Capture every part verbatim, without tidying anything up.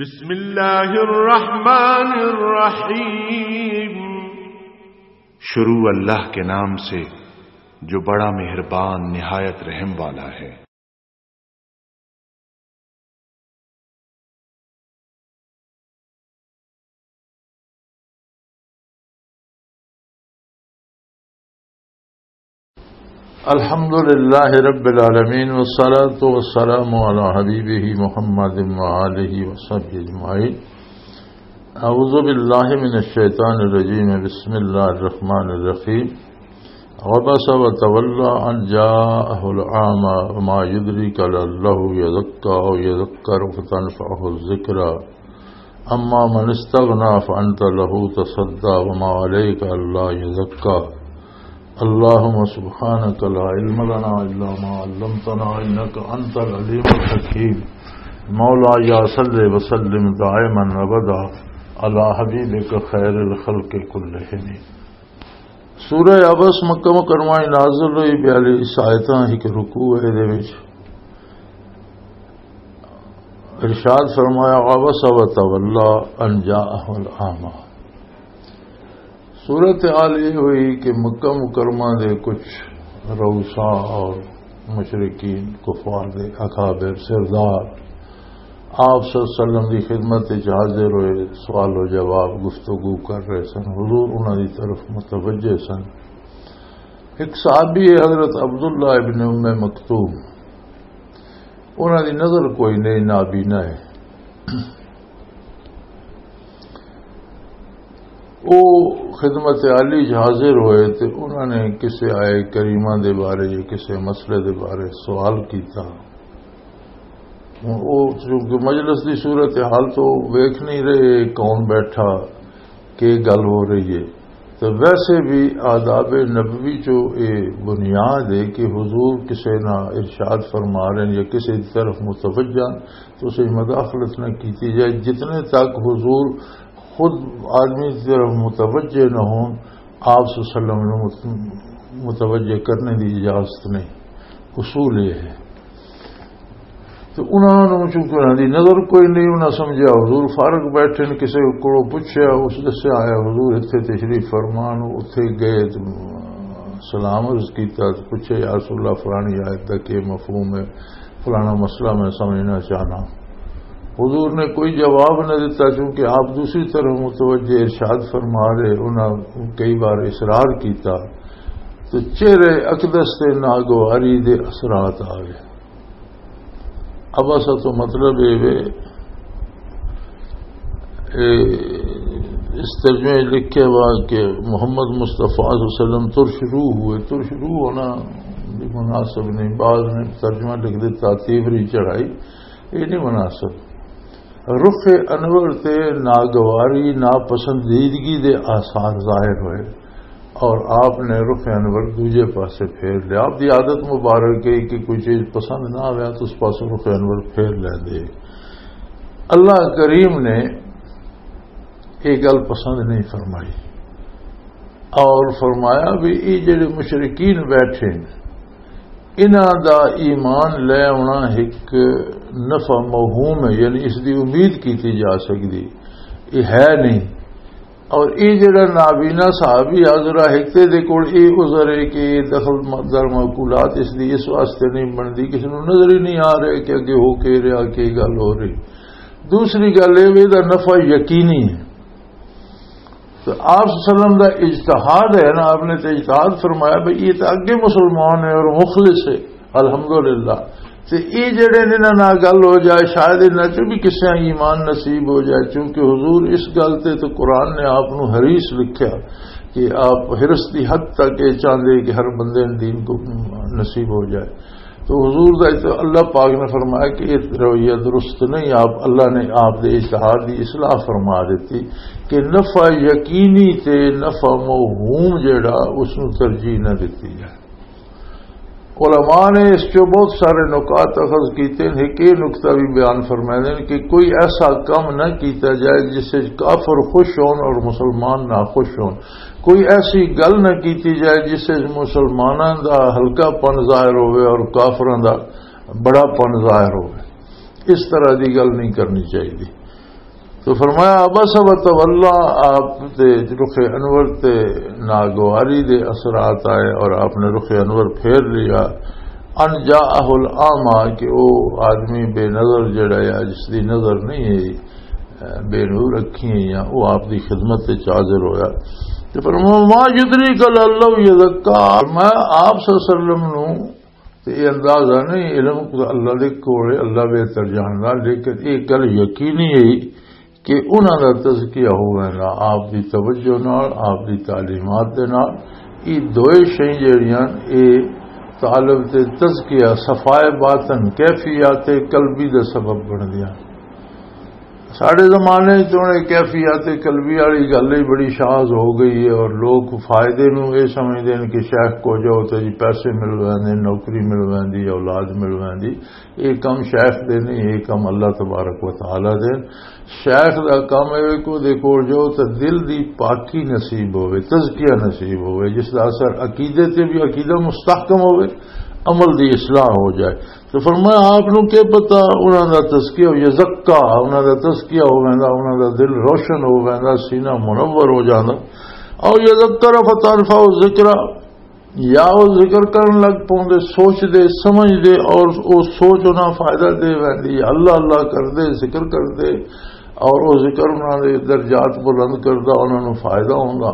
بسم اللہ الرحمن الرحیم۔ شروع اللہ کے نام سے جو بڑا مہربان نہایت رحم والا ہے۔ الحمد لله رب العالمين، والصلاة والسلام على حبيبه محمد وآله وصحبه أجمعين. أعوذ بالله من الشيطان الرجيم. بسم الله الرحمن الرحيم. عبس وتولى أن جاءه الأعمى وما يدريك لعله يزكى أو يذكر فتنفعه الذكرى. أما من استغنى فأنت له تصدى وما عليك ألا يزكى. اللهم سبحانك لا علم لنا إلا ما علمتنا إنك أنت العليم الحكيم. مولاي صل وسلم دائما أبدا على حبيبك خير الخلق كلهم. سورہ عبس مکہ مکرمہ وچ نازل ہوئی، بیالیس آیتاں، ایک رکوع ہے دے وچ۔ ارشاد فرمایا، "عبس و تولا ان جاءہ الاعمی۔" صورتحال یہ ہوئی کہ مکہ مکرمہ دے کچھ رؤسا اور مشرکین، کفار دے اکابر، سردار، آپ صلی اللہ علیہ وسلم دی خدمت وچ حاضر ہوئے، سوال و جواب، گفتگو کر رہے سن۔ حضور انہاں دی طرف متوجہ سن۔ ایک صحابی ہے حضرت عبداللہ ابن ام مکتوم، انہاں دی نظر کوئی نہیں، نابینا ہے۔ او خدمت عالی چ حاضر ہوئے تے انہاں نے کسے آئے کریمہ دے بارے یا کسے مسئلے دے بارے سوال کیتا۔ ہن او چونکہ مجلس دی صورتحال تو ویکھ نہیں رہے کون بیٹھا، کی گل ہو رہی ہے، تو ویسے بھی آداب نبوی چو اے بنیاد ہے کہ حضور کسے نہ ارشاد فرما رہے ہیں یا کسے دی طرف متوجہ ہیں، تو اسے مداخلت نہ کیتی جائے۔ جتنے تک حضور خود آدمی کی طرف متوجہ نہ ہون، آپ صلی اللہ علیہ وسلم نے مت-، متوجہ کرنے دی اجازت نہیں۔ اصول یہ ہے۔ تو انہاں نوں چونکہ انہاں دی نظر کوئی نہیں، انہاں سمجھیا حضور فارغ بیٹھے نے، کسے کولوں پچھیا، اس دسیا آیا حضور اتھے تشریف فرمان، اتھے گئے تے سلام عرض کیتا تے پچھے، "یا رسول اللہ، فلانی آیت دا کی مفہوم ہے؟" فلانا مسئلہ میں سمجھنا چاہنا۔ حضور نے کوئی جواب نہ دیتا، چونکہ آپ دوسری طرف متوجہ ارشاد فرما رہے، انہاں کئی بار اصرار کیتا تو چہرے اقدس تے ناگواری دے اثرات آ گئے۔ اب ایسا تو مطلب یہ وے، اے، اس ترجمے وچ لکھے ہوا کہ محمد مصطفیٰ صلی اللہ علیہ وسلم ترش روح ہوئے۔ ترش روح ہونا بھی مناسب نہیں، بعض نے ترجمہ لکھ دیتا تیوری چڑھائی، یہ نہیں مناسب۔ رخ انور تے ناگواری، ناپسندیدگی دے آثار ظاہر ہوئے اور آپ نے رخ انور دوجے پاسے پھیر لیا۔ آپ دی عادت مبارک ہے کہ کوئی چیز پسند نہ آوے تو اس پاسے رخ انور پھیر لیندے۔ اللہ کریم نے یہ گل پسند نہیں فرمائی اور فرمایا بھی یہ جڑے مشرکین بیٹھے ہیں، انہاں دا ایمان لے آنا ایک نفع موہوم ہے، یعنی اس دی امید کیتی جا سکدی، یہ ہے نہیں۔ اور یہ جڑا نابینا صحابی حضرہ حکتے دے کول یہ عذر ہے کہ یہ دخل در معقولات اس دی اس واسطے نہیں بندی، کسی نوں نظر ہی نہیں آ رہے کہ اگے ہو کے رہا، کی گل ہو رہی۔ دوسری گل یہ بھی دا نفع یقینی ہے۔ تو آپ صلی اللہ علیہ وسلم دا اجتہاد ہے نا، آپ نے تو اجتہاد فرمایا بھئی یہ تو اگے مسلمان ہے اور مخلص ہے، الحمدللہ۔ تے یہ جڑے نے انہاں نال گل ہو جائے، شاید انہاں چوں بھی کسے ایمان نصیب ہو جائے، چونکہ حضور اس گل تے تو قرآن نے آپ نو حریص لکھیا کہ آپ حرص دی حد تک یہ چاہندے کہ ہر بندے نے دین کو نصیب ہو جائے۔ تو حضور دا تو اللہ پاک نے فرمایا کہ یہ رویہ درست نہیں، آپ، اللہ نے آپ دے اجتہاد دی اصلاح فرما دیتی کہ نفع یقینی تے نفع موہوم جڑا، اس نو ترجیح نہ دیتی جائے۔ علماء نے اس چوں بہت سارے نکات اخذ کیتے ہیں۔ ایک یہ نقطہ بھی بیان فرمائے ہیں کہ کوئی ایسا کم نہ کیتا جائے جس سے کافر خوش ہون اور مسلمان ناخوش ہون۔ کوئی ایسی گل نہ کیتی جائے جس سے مسلماناں دا ہلکا پن ظاہر ہوئے اور کافراں دا بڑا پن ظاہر ہوئے۔ اس طرح دی گل نہیں کرنی چاہیے۔ تو فرمایا، عبس و تولا، آپ تے رخ انور تے ناگواری دے اثرات آئے اور آپ نے رخ انور پھیر لیا۔ ان جاءہ الاعمی، کہ او آدمی بے نظر جڑا ہے، جس دی نظر نہیں ہے، بے نور اکھیں ہیں، وہ آپ دی خدمت تے حاضر ہویا۔ تے فرمایا، ما یدریک لعلہ یزکی، میں آپ صلی اللہ علیہ وسلم نو تے یہ اندازہ نہیں، علم کو اللہ دے کول ہے، اللہ بہتر جاندا، لیکن یہ گل یقینی ہے کہ انہاں دا تزکیہ ہووے گا آپ دی توجہ نال، آپ دی تعلیمات دے نال۔ یہ دوئے شے جڑیاں، یہ طالب تے تزکیہ، صفائے باطن، کیفیات قلبی دا سبب بندیاں۔ ساڈے زمانے چ ہن یہ کیفیات قلبی والی گل ہی بڑی شاذ ہو گئی ہے، اور لوگ فائدے نو یہ سمجھدے نے کہ شیخ کو جاؤ تے جی پیسے مل ویندے، نوکری مل ویندی، اولاد مل ویندی۔ یہ کم شیخ دے نہیں، یہ کم اللہ تبارک و تعالیٰ دے۔ شیخ دا کم ہے کہ دے کول جاؤ تے دل دی پاکی نصیب ہوئے، تزکیہ نصیب ہوئے، جس دا اثر عقیدے تے بھی، عقیدہ مستحکم ہوئے، عمل دی اصلاح ہو جائے۔ تو فرمایا، آپ نو کیا پتا، انہاں دا تزکیہ ہو، یزکا، انہاں دا تزکیہ ہو ویندا، انہاں دا دل روشن ہو ویندا، سینہ منور ہو جاندا۔ او یذکر فتنفع الذکر، یا او ذکر کرن لگ پوندے، سوچ دے، سمجھ دے، اور او سوچ انہاں فائدہ دے ویندی۔ اللہ اللہ کر دے، ذکر کر دے، اور او ذکر انہاں دے درجات بلند کردا، انہاں نو فائدہ ہوندا۔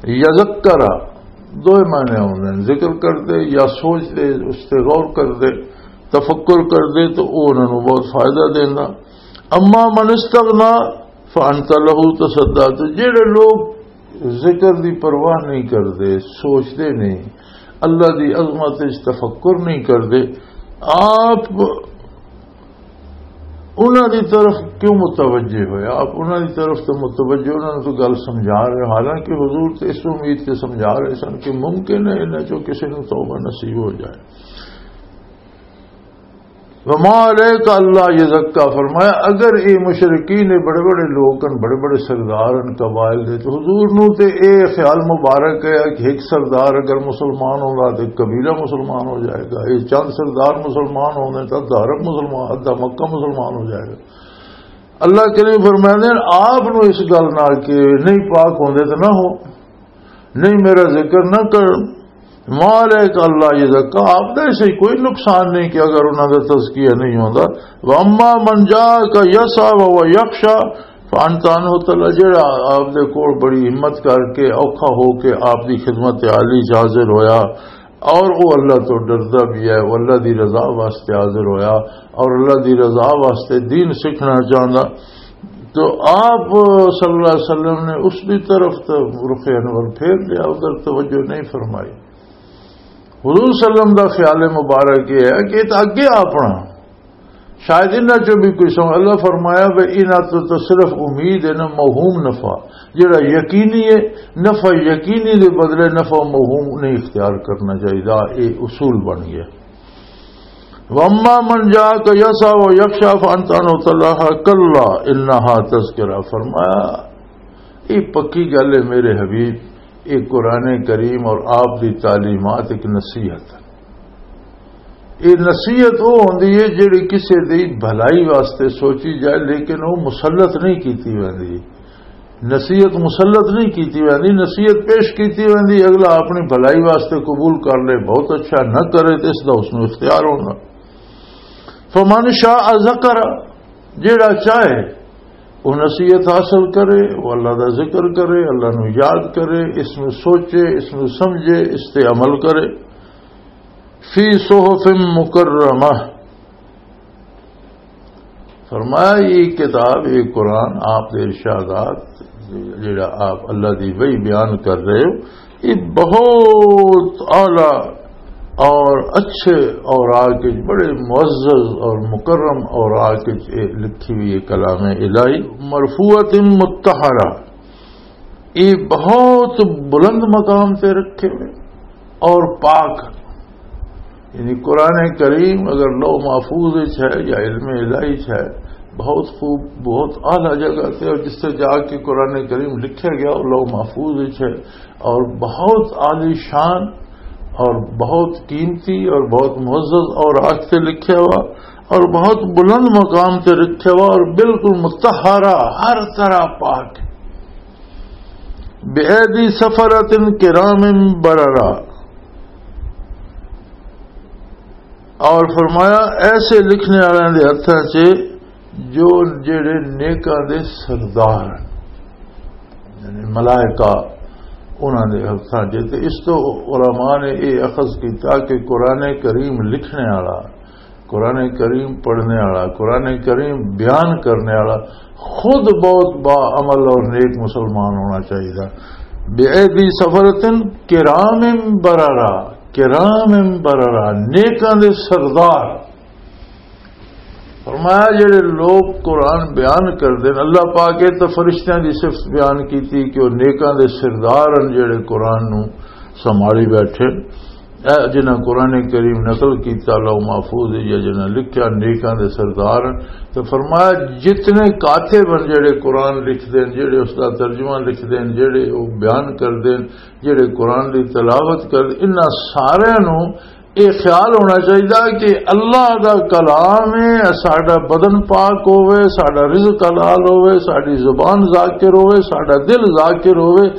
یذکر، دوئے معنی ہوندے نے، ذکر کردے یا سوچدے، اس تے غور کردے، تفکر کردے، تو او انہاں نوں بہت فائدہ دیندا۔ اما من استغنا فانت له تصدى، تو جڑے لوگ ذکر دی پرواہ نہیں کردے، سوچدے نہیں، اللہ دی عظمت وچ تفکر نہیں کردے، آپ انہاں دی طرف کیوں متوجہ ہوئے؟ آپ انہاں دی طرف تو متوجہ، انہاں نوں تو گل سمجھا رہے، حالانکہ حضور تو اس امید سے سمجھا رہے سن کہ ممکن ہے انہاں چوں کسی نوں توبہ نصیب ہو جائے۔ وما علیک الا یزکا، فرمایا اگر اے مشرکین، اے بڑے بڑے لوگ ہن، بڑے بڑے سردار ہن قبائل دے، تو حضور نوں تے اے خیال مبارک ہے کہ ایک سردار اگر مسلمان ہوگا تو قبیلہ مسلمان ہو جائے گا، اے چند سردار مسلمان ہوندے تو ادھا عرب مسلمان، ادھا مکہ مسلمان ہو جائے گا۔ اللہ کریم فرماندے ہیں، آپ نو اس گل نال کہ نہیں پاک ہوندے تے نہ ہو، نہیں میرا ذکر نہ کر۔ ما علیک اللہ یزکا، آپ دا اس وچ کوئی نقصان نہیں کہ اگر انہاں دا تزکیہ نہیں ہوندا۔ واما من جاءک یسعی وهو یخشی فانت عنہ تلہی، جڑا آپ دے کول بڑی ہمت کر کے، اوکھا ہو کے آپ دی خدمت عالی چ حاضر ہویا، اور وہ اللہ تو ڈردا بھی ہے، وہ اللہ دی رضا واسطے حاضر ہویا اور اللہ دی رضا واسطے دین سیکھنا چاہندا۔ تو آپ صلی اللہ علیہ وسلم نے اس دی طرف تو رخ انور پھیر لیا، ادھر توجہ نہیں فرمائی۔ حضور صلی اللہ علیہ وسلم دا خیال مبارک یہ ہے کہ یہ تو اگے اپنا شاید انہاں چوں بھی کوئی سمجھ، اللہ فرمایا، "بے انہاں تو، تو صرف امید ہے نا موہوم نفع، جڑا یقینی ہے، نفع یقینی دے بدلے نفع موہوم نہیں اختیار کرنا چاہیے۔" اے اصول بن گیا۔ واما من جاءک یسعی وهو یخشی فانت عنہ تلہی کلا انہا تذکرہ، فرمایا، یہ پکی گل ہے میرے حبیب، یہ قرآن کریم اور آپ دی تعلیمات ایک نصیحت ہے۔ یہ نصیحت وہ ہوندی ہے جڑی کسے دی بھلائی واسطے سوچی جائے، لیکن وہ مسلط نہیں کیتی ویندی۔ نصیحت مسلط نہیں کیتی ویندی، نصیحت پیش کیتی ویندی، اگلا اپنی بھلائی واسطے قبول کر لے، بہت اچھا، نہ کرے تو اس دا اس نوں اختیار ہونا۔ فمن شاء ذکر، جیڑا چاہے وہ نصیحت حاصل کرے، وہ اللہ دا ذکر کرے، اللہ نو یاد کرے، اس نو سوچے، اس نو سمجھے، اس تے عمل کرے۔ فی صحف مکرمہ، فرمایا، یہ کتاب، یہ قرآن، آپ دے ارشادات، جڑا آپ اللہ دی وحی بیان کر رہے ہو، یہ بہت اعلیٰ اور اچھے اوراق وچ، بڑے معزز اور مکرم اوراق وچ یہ لکھی ہوئی یہ کلام الہی، مرفوعۃ مطہرہ، یہ بہت بلند مقام تے رکھے ہوئے اور پاک، یعنی قرآن کریم اگر لوح محفوظ وچ ہے یا علم الہی وچ ہے، بہت خوب، بہت اعلیٰ جگہ تے، اور جس سے جا کے قرآن کریم لکھا گیا، وہ لوح محفوظ وچ ہے اور بہت عالی شان اور بہت قیمتی اور بہت معزز اور آج سے لکھا ہوا اور بہت بلند مقام تے رکھا ہوا اور بالکل متحرہ، ہر طرح پاک۔ بِأَيْدِي سَفَرَةٍ كِرَامٍ بَرَرَةٍ۔ اور فرمایا، ایسے لکھنے والوں دے ہتھاں چ جو جڑے نیکاں دے سردار ہیں، یعنی ملائکہ انہاں دے ہتھاں چ۔ تے اس تو علماء نے یہ اخذ کیتا کہ قرآن کریم لکھنے والا، قرآن کریم پڑھنے والا، قرآن کریم بیان کرنے والا خود بہت با عمل اور نیک مسلمان ہونا چاہیے۔ بِأَيْدِي سَفَرَةٍ كِرَامٍ بَرَرَةٍ، کرام بررا، نیکاں دے سردار۔ فرمایا، جڑے لوگ قرآن بیان کردے نے، اللہ پاک نے تو فرشتیاں دی صفت بیان کیتی کہ وہ نیکاں دے سردار ہیں، جڑے قرآن نو سنبھالی بیٹھے۔ اے جنہاں قرآن کریم نقل کیتا لوح محفوظ یا جنہاں لکھیا، نیکاں دے سردار ہیں۔ تو فرمایا، جتنے کاتب ہیں جڑے قرآن لکھدے ہیں، جڑے اس دا ترجمہ لکھدے ہیں، جڑے وہ بیان کردے ہیں، جڑے قرآن دی تلاوت کردے، انہاں سارے نو یہ خیال ہونا چاہیے کہ اللہ دا کلام ہے، ساڈا بدن پاک ہوئے، ساڈا رزق حلال ہوئے، ساڈی زبان ذاکر ہوئے، ساڈا دل ذاکر ہوئے،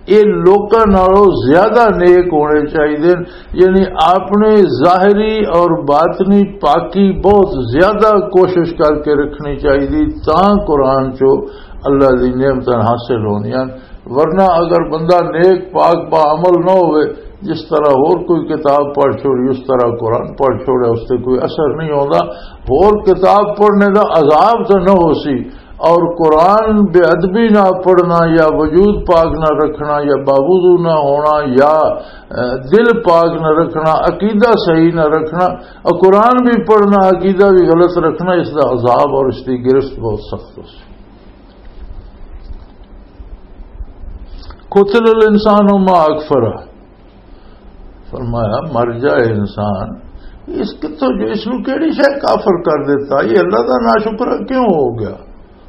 یہ لوکاں نالوں زیادہ نیک ہونے چاہیے۔ یعنی اپنے ظاہری اور باطنی پاکی بہت زیادہ کوشش کر کے رکھنی چاہیے، تاں قرآن چو اللہ دی نعمتاں حاصل ہوندیاں۔ ورنہ اگر بندہ نیک پاک با عمل نہ ہوئے، جس طرح ہور کوئی کتاب پڑھ چھوڑی، اس طرح قرآن پڑھ چھوڑے، اس سے کوئی اثر نہیں ہوتا۔ ہور کتاب پڑھنے دا عذاب تو نہ ہو سی، اور قرآن بے ادبی نہ پڑھنا یا وجود پاک نہ رکھنا یا باوضو نہ ہونا یا، اے، دل پاک نہ رکھنا، عقیدہ صحیح نہ رکھنا، اور قرآن بھی پڑھنا، عقیدہ بھی غلط رکھنا، اس دا عذاب اور اس دی گرفت بہت سخت ہو سی۔ قتل الانسان ما اکفرہ۔ فرمایا، مر جائے انسان، اس کتوں جو اس نو کیڑی شے کافر کر دیتا؟ یہ اللہ دا ناشکرا کیوں ہو گیا؟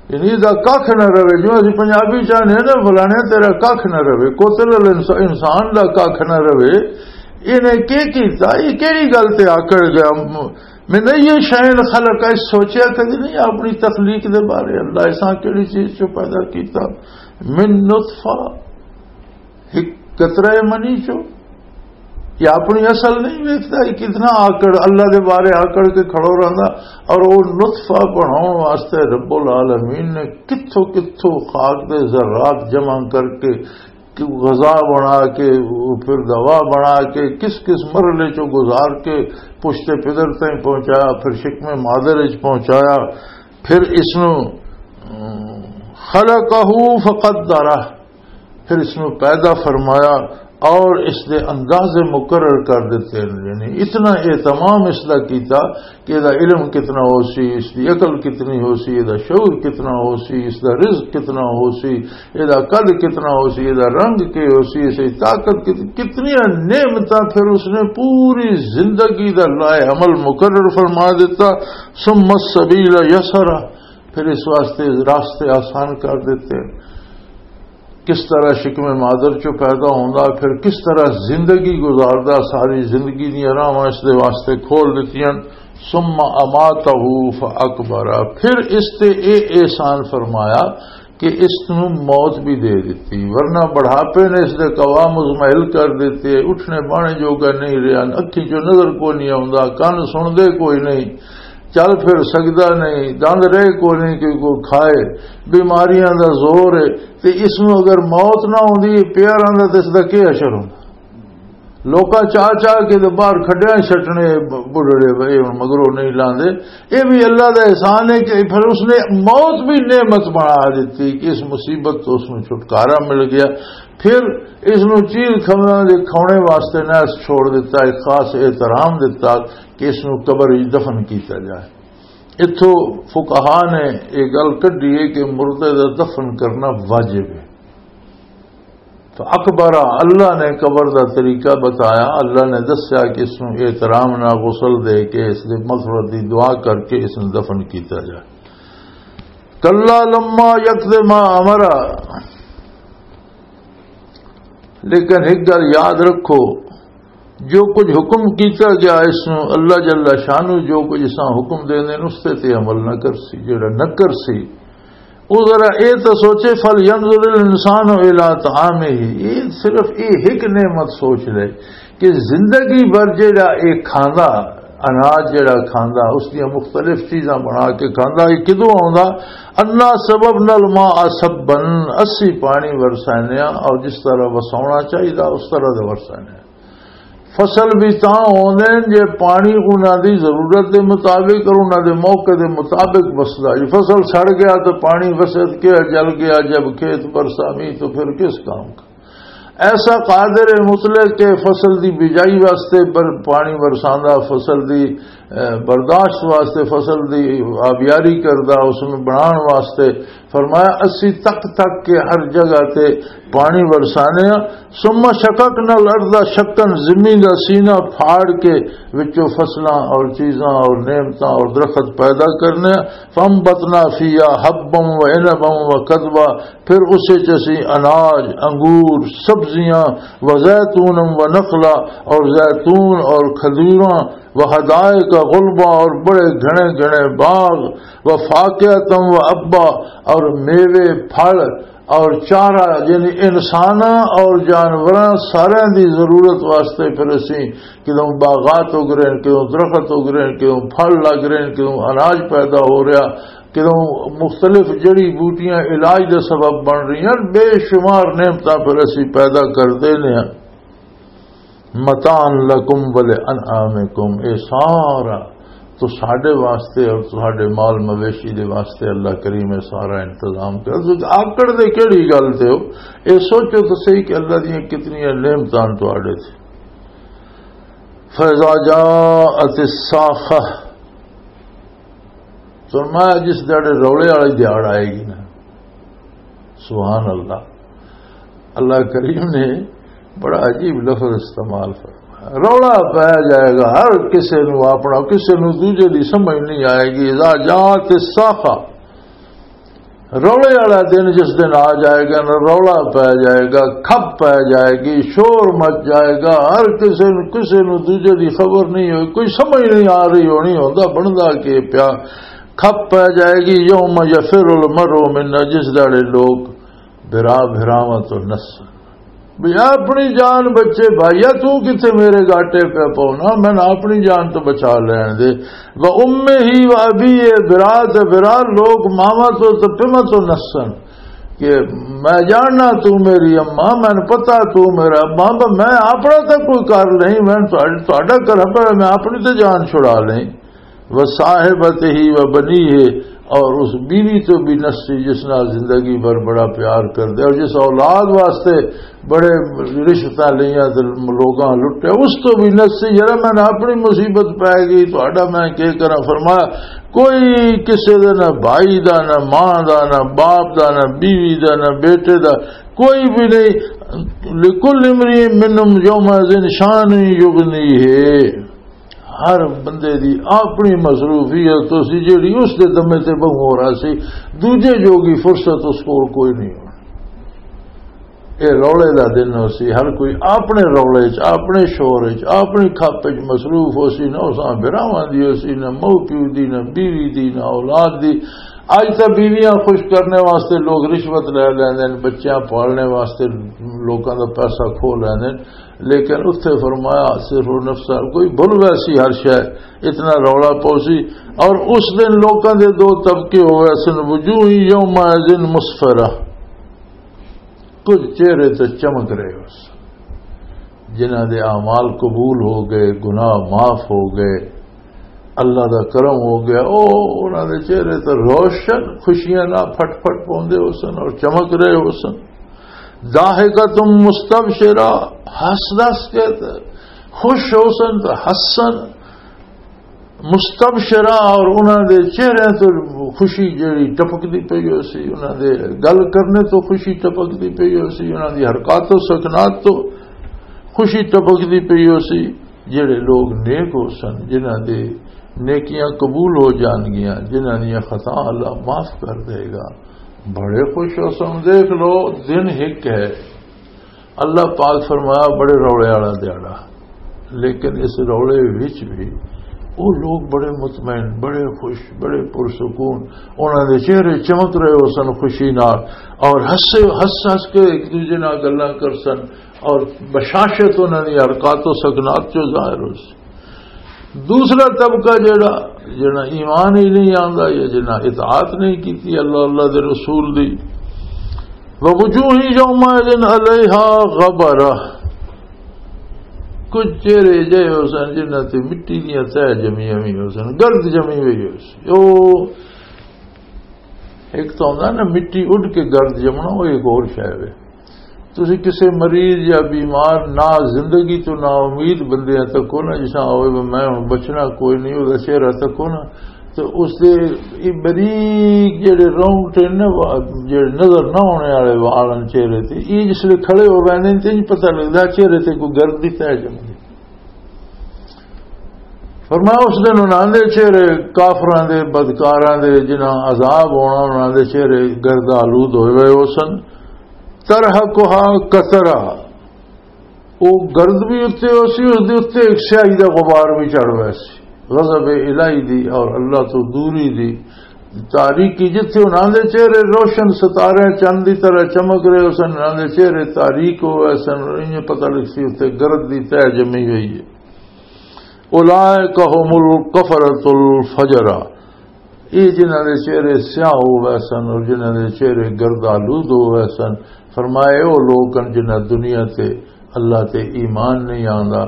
یعنی دا ککھ نہ رہے، جو اسی پنجابی چاہنے نا، فلانے تیرا ککھ نہ رہے، قتل الانس-، انسان دا ککھ نہ رہے۔ انہیں کی کیتا؟ یہ کیڑی گل تے آکڑ گیا؟ میں نہیں یہ شین خلق ہے، سوچیا کدی نہیں اپنی تخلیق دے بارے، اللہ ایسا کیڑی چیز چو پیدا کیتا؟ من نطفہ، ایک قطرہ منی چو۔ یہ اپنی اصل نہیں ویکھدا، یہ کتنا آکڑ، اللہ دے بارے آکڑ کے کھڑو رہندا۔ اور وہ نطفہ بناؤن واسطے رب العالمین نے کتھوں کتھوں خاک دے ذرات جمع کر کے، کہ غذا بنا کے، پھر دوا بنا کے، کس کس مرحلے چوں گزار کے پشت پدر تائیں پہنچایا، پھر شکم مادر وچ پہنچایا، پھر اس نو، ام، خلقہ فقدرہ، پھر اس نو پیدا فرمایا اور اس دے اندازے مقرر کر دیتے ہیں۔ یعنی اتنا اہتمام اس دا کیتا کہ ادا علم کتنا ہو سی، اس دی عقل کتنی ہو سی، ادا شعور کتنا ہو سی، اس دا رزق کتنا ہو سی، ادا قد کتنا ہو سی، ادا رنگ کی ہو سی، اس دی طاقت کت-، کتنی نعمتاں پھر اس نے پوری زندگی دا لائے عمل مقرر فرما دیتا۔ ثم السبیل یسرا، پھر اس واسطے راستے آسان کر دیتے۔ کس طرح شکم مادر چوں پیدا ہوندا، پھر کس طرح زندگی گزاردا، ساری زندگی دیاں راہواں اس دے واسطے کھول دتیاں۔ ثم اماتہ فاقبرہ، پھر اس تے اے احسان فرمایا کہ اس نوں موت بھی دے دتی، ورنہ بڑھاپے نے اس دے قوام مزمحل کر دیتے، اٹھنے بانے جوگا نہیں رہیا، اکھیں چوں نظر کوئی نہیں آوندا، کان سن دے کوئی نہیں، چل پھر سکدا نہیں، دند رہ کوئی نہیں کہ کوئی کھائے، بیماریاں دا زور ہے۔ تے اس نوں اگر موت نہ ہوندی، پیاراں دا تے اس دا کی حشر ہوندا؟ لوکاں چاہ چاہ کے تے باہر کھڈیاں سٹنے، ب-، بڈھڑے بھائی ہن مگروں نہیں لاندے۔ اے بھی اللہ دا احسان ہے کہ پھر اس نے موت بھی نعمت بنا دیتی کہ اس مصیبت تو اس نوں چھٹکارا مل گیا۔ پھر اس نوں چیز کھونا دے کھونے واسطے نہ چھوڑ دیتا، ایک خاص احترام دیتا کہ اس نوں قبر وچ دفن کیتا جائے۔ اتھوں فقہا نے یہ گل کڈی ہے کہ مردے دا دفن کرنا واجب ہے۔ تو اکبر، اللہ نے قبر دا طریقہ بتایا، اللہ نے دسیا کہ اس نوں احترام نال غسل دے کے، اس دے مغفرت دی دعا کر کے اس نوں دفن کیتا جائے۔ کلا لما یقض ما امرہ، لیکن ایک گل یاد رکھو، جو کچھ حکم کیتا گیا اس نوں، اللہ جل شانہ جو کچھ اساں حکم دیندے نے، اس تے تے عمل نہ کرسی۔ جڑا نہ کرسی، او ذرا اے تے سوچے، فَلْيَنْظُرِ الْإِنسَانُ إِلَىٰ طَعَامِهِ۔ اے صرف اے ایک نعمت سوچ لے کہ زندگی بھر جڑا اے کھاندا، اناج جڑا کھاندا، اس دیاں مختلف چیزاں بنا کے کھاندا، اے کدوں آوندا؟ اَنَّا صَبَبْنَا الْمَاءَ صَبًّا، اسی پانی ورسانے آں، اور جس طرح وساونا چاہیدا، اس طرح دا ورسانے آں۔ فصل بھی تاں ہوندے نے جے پانی انہاں دی ضرورت دے مطابق اور انہاں دے موقع دے مطابق وسدا۔ جے فصل سڑ گیا تو پانی وسد کے جل گیا، جب کھیت برسا بھی تو پھر کس کام کا؟ ایسا قادر مطلق کہ فصل دی بجائی واسطے بر-، پانی برساندا، فصل دی، اے، برداشت واسطے، فصل دی آبیاری کردا، اس میں بنان واسطے فرمایا، اسی تک تک کے ہر جگہ تے پانی برسانے ہاں۔ ثم شققنا الارض شقا، زمین دا سینہ پھاڑ کے وچوں فصلاں اور چیزاں اور نعمتاں اور درخت پیدا کرنے ہاں۔ فانبتنا فیہا حبا و عنبا و قضبا، پھر اس وچ اسی اناج، انگور، سبزیاں، و زیتون و نخلا، اور زیتون اور کھجوراں، و حدائق غلبا، اور بڑے گھنے گھنے باغ، و فاکہۃ و ابا، اور میوے، پھل، اور چارہ، یعنی انساناں اور جانوراں سارے دی ضرورت واسطے پھر اسی کدوں باغات اگ رہے ہیں، کدوں درخت اگ رہے ہیں، کدوں پھل لگ رہے ہیں، کدوں اناج پیدا ہو رہا، کدوں مختلف جڑی بوٹیاں علاج دا سبب بن رہی ہیں، بے شمار نعمتاں پھر اسی پیدا کر دینے ہیں۔ متاعا لکم ولانعامکم، اے سارا تو ساڈے واسطے اور ساڈے مال مویشی دے واسطے اللہ کریم اے سارا انتظام کر۔ تسی آکڑ دے کیڑی گل تے ہو؟ اے سوچو تو صحیح کہ اللہ دیاں کتنی نعمتاں تواڈے تے۔ فاذا جاءت الصاخہ، فرمایا، جس دھیاڑے رولے والی دھیاڑ آئے گی نا، سبحان اللہ، اللہ کریم نے بڑا عجیب لفظ استعمال فرمایا، رولا پایا جائے گا، ہر کسے نو اپنا، کسے نو دوجے دی سمجھ نہیں آئے گی۔ اذا جاءت الصاخہ، رولے والا دن جس دن آ جائے گا نا، رولا پایا جائے گا، کھپ پایا جائے گی، شور مچ جائے گا، ہر کسے نو، کسے نو دوجے دی خبر نہیں ہوئی، کوئی سمجھ نہیں آ رہی ہونی ہوندا بندا کہ پیا کھپ پایا جائے گی۔ یوم یفر المرء من، جس دھیاڑے لوگ بھرا بھراواں تو نس، بھی اپنی جان بچے بھائیا، تو کتے میرے گاٹے پہ پاؤنا، میں اپنی جان تو بچا لین دے۔ و امہ و ابی، اے برا تے برا لوگ ماما تو تے پیما تو نسن کہ میں جاننا تو میری اماں، میں پتا تو میرا ابا، پر میں اپنا تو کوئی کر نہیں، میں تہاڈا کراں، پر میں اپنی تے جان چھڑا لیں۔ و صاحبتہ و بنیہ، اور اس بیوی تو بھی نسی جس نال زندگی بھر بڑا پیار کر دے، اور جس اولاد واسطے بڑے رشوتاں لیاں تے لوگاں لٹے، اس تو بھی نسی، یار میں اپنی مصیبت پی گئی، تہاڈا میں کی کراں؟ فرمایا، کوئی کسے دا، نہ بھائی دا، نہ ماں دا، نہ باپ دا، نہ بیوی دا، نہ بیٹے دا، کوئی بھی نہیں۔ لکل امرئ منہم یومئذ شأن یغنیہ، ہر بندے دی اپنی مصروفیت ہو سی جیڑی اس دے دمے تے بہوں ہو رہا سی، دوجے جوگی فرصت اس کول کوئی نہیں ہونی۔ اے رولے دا دن ہو سی، ہر کوئی اپنے رولے چ، اپنے شور چ، اپنی کھپ چ مصروف ہو سی، نہ اساں بھراواں دی ہو سی، نہ ماؤ پیو دی، نہ بیوی دی، نہ اولاد دی۔ اج تاں بیویاں خوش کرنے واسطے لوگ رشوت لے لیندے نے، بچیاں پالنے واسطے لوکاں دا پیسہ کھو لیندے نے، لیکن اتھے فرمایا، صرف نفس کوئی بھل ویسی ہر شے، اتنا رولا پوسی۔ اور اس دن لوکاں دے دو طبقے ہو ویسن، وجوہ یومئذ مسفرہ، کچھ چہرے تے چمک رہے ہو سن، جنہاں دے اعمال قبول ہو گئے، گناہ معاف ہو گئے، اللہ دا کرم ہو گیا، او انہاں دے چہرے تے روشن خوشیاں نال پھٹ پھٹ پوندے ہو سن اور چمک رہے ہو سن۔ ضاحکۃ مستبشرہ، ہس دس کے تے خوش ہو سن تے ہسن۔ مستبشرہ، اور انہاں دے چہرے تو خوشی جڑی ٹپکدی پئی ہو سی، انہاں دے گل کرنے تو خوشی ٹپکدی پئی ہو سی، انہاں دی حرکات و سکنات تو خوشی ٹپکدی پئی ہو سی۔ جڑے لوگ نیک ہو سن، جنہاں دے نیکیاں قبول ہو جان گیاں، جنہاں دیاں خطا اللہ معاف کر دے گا، بڑے خوش ہو سن۔ دیکھ لو، دن ایک ہے، اللہ پاک فرمایا، بڑے روڑے والا دیہاڑا۔ لیکن اس رولے وچ بھی وہ لوگ بڑے مطمئن، بڑے خوش، بڑے پرسکون، انہاں دے چہرے چمک رہے ہو سن خوشی نال، اور ہنسے، ہنس ہنس کے ایک دوجے نال گلاں کر سن، اور بشاشت انہاں دی حرکات و سکنات چوں ظاہر ہو سی۔ دوسرا طبقہ جڑا، جڑا ایمان ہی نہیں آندا یا جنہاں اطاعت نہیں کیتی اللہ، اللہ دے رسول دی، ووجوہ یومئذ علیہا غبرہ، کچھ چہرے جے ہو سن جنہاں تے مٹی دیاں تہ جمی ہوئی ہو سن، گرد جمی ہوئی ہو سی۔ او ایک تو ہوندا نا مٹی اڈ کے گرد جمنا، وہ ایک اور شے ہے۔ تسی کسے مریض یا بیمار، نا زندگی تو نا امید بندے تکو نا، جس طرح ہوئے بھی میں ہن بچنا کوئی نہیں، وہ چہرہ تکو نا، تو اس دے یہ بریک جڑے رونگٹے نے، وا-، جڑے نظر نہ ہونے والے وال ہن چہرے تے، یہ جس لے کھڑے ہو ویندے نے، تے نہیں پتہ لگدا چہرے تے کوئی گرد دی تہ جمدی۔ فرمایا، اس دن انہاں دے چہرے، کافراں دے، بدکاراں دے، جنہاں عذاب ہونا، انہاں دے چہرے گرد آلود ہوئے ہوئے ہو سن۔ ترہقہا قترہ، او گرد بھی اتنے ہو سی، اس دے اتنے ایک سیاہی دا غبار بھی چڑھ ہوئے سی، غضب الہی دی اور اللہ تو دوری دی۔ تاریکی، جتھے انہاں دے چہرے روشن ستارے چند دی طرح چمک رہے ہو سن، انہاں دے چہرے تاریک ہو گئے سن، انہیں پتہ لگ سی اتنے گرد دی تہ جمی ہوئی ہے۔ اولئک هم الکفرۃ الفجرہ، یہ جنہاں دے چہرے سیاہ ہو گئے سن اور جنہاں دے چہرے گردآلود ہو گئے سن، فرمائے، او لوگ ہن جنہاں دنیا تے اللہ تے ایمان نہیں آندا،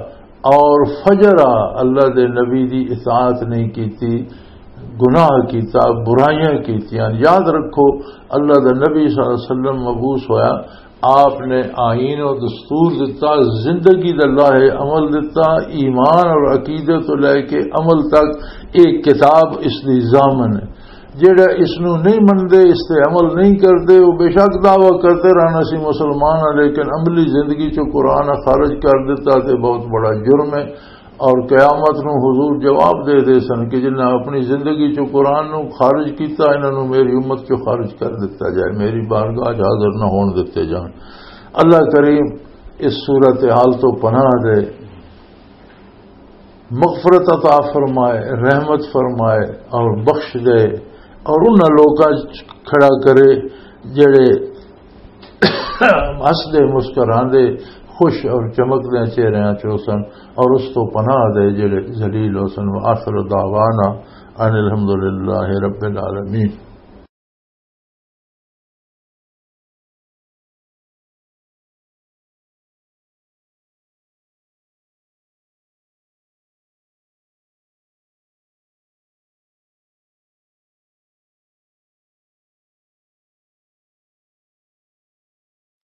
اور فجرا، اللہ دے نبی دی اطاعت نہیں کیتی، گناہ کیتا، برائیاں کیتیاں۔ یاد رکھو، اللہ دا نبی صلی اللہ علیہ وسلم مبعوث ہویا، آپ نے آئین و دستور دتا، زندگی دا لاہ عمل دتا، ایمان اور عقیدے تو لے کے عمل تک ایک کتاب اس دی ضامن ہے۔ جڑا اس نو نہیں مندے، اس تے عمل نہیں کردے، وہ بے شک دعویٰ کرتے رہنا سی مسلمان ہاں، لیکن عملی زندگی چوں قرآن خارج کر دیتا تے بہت بڑا جرم ہے۔ اور قیامت نو حضور جواب دے دے سن کہ جنہاں اپنی زندگی چوں قرآن نو خارج کیتا، انہاں نو میری امت چوں خارج کر دیتا جائے، میری بارگاہ چ حاضر نہ ہون دتے جان۔ اللہ کریم اس صورت حال تو پناہ دے، مغفرت عطا فرمائے، رحمت فرمائے اور بخش دے، اور انہاں لوکاں چ کھڑا کرے جڑے ہسدے مسکراندے خوش اور چمکدے چہریاں چ ہو سن، اور اس تو پناہ دے جڑے ذلیل ہو سن۔ وآخر دعوانا ان الحمد للہ رب العالمین۔